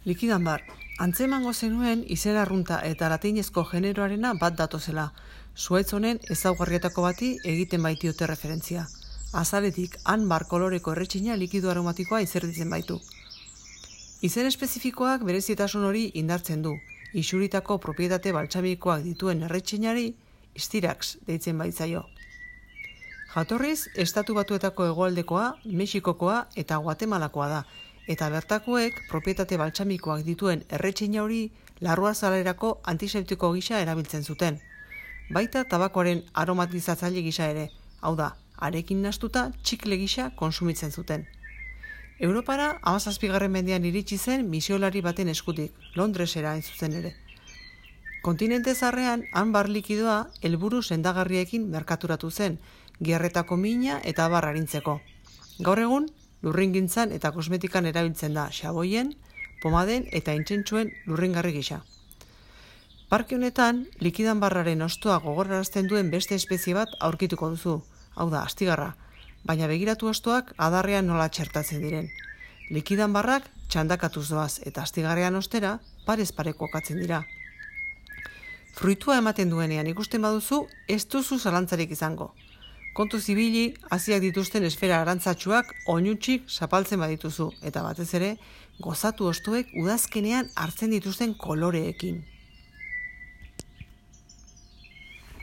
Likidan bar, antzemango zenuen izen arrunta eta latinezko generoarena bat datozela. Zuhaitz honen ezaugarrietako bati egiten baitiote referentzia. Azaletik han bar koloreko erretxina likido aromatikoa izerditzen baitu. Izen espezifikoak berezitasun hori indartzen du. Isuritako propietate baltsamikoak dituen erretxinari Stirax deitzen baitzaio. Jatorriz, Estatu Batuetako hegoaldekoa, Mexikokoa eta Guatemalakoa da, eta bertakoek propietate baltsamikoak dituen erretxina hori larruazalerako antiseptiko gisa erabiltzen zuten. Baita tabakoaren aromatizatzaile gisa ere, hau da, arekin nastuta txikle gisa konsumitzen zuten. Europara 17. mendean iritsi zen misiolari baten eskutik, Londresera hain zuzen ere. Kontinente zarrean, han bar likidoa helburu sendagarriekin merkaturatu zen, giarretako mina eta abar arintzeko. Gaur egun, lurringintzan eta kosmetikan erabiltzen da xaboien, pomaden eta intsentsuen lurringarri gisa. Parke honetan, likidan barraren hostoa gogorarazten duen beste espezie bat aurkituko duzu, hau da, astigarra, baina begiratu hostoak adarrean nola txertatzen diren. Likidan barrak txandakatuz doaz eta astigarrean ostera parez pare kokatzen dira. Fruitua ematen duenean ikusten baduzu, ez duzu zalantzarik izango. Kontu zibili, haziak dituzten esfera arantzatsuak oinutsik zapaltzen badituzu, eta batez ere, gozatu hostoek udazkenean hartzen dituzten koloreekin.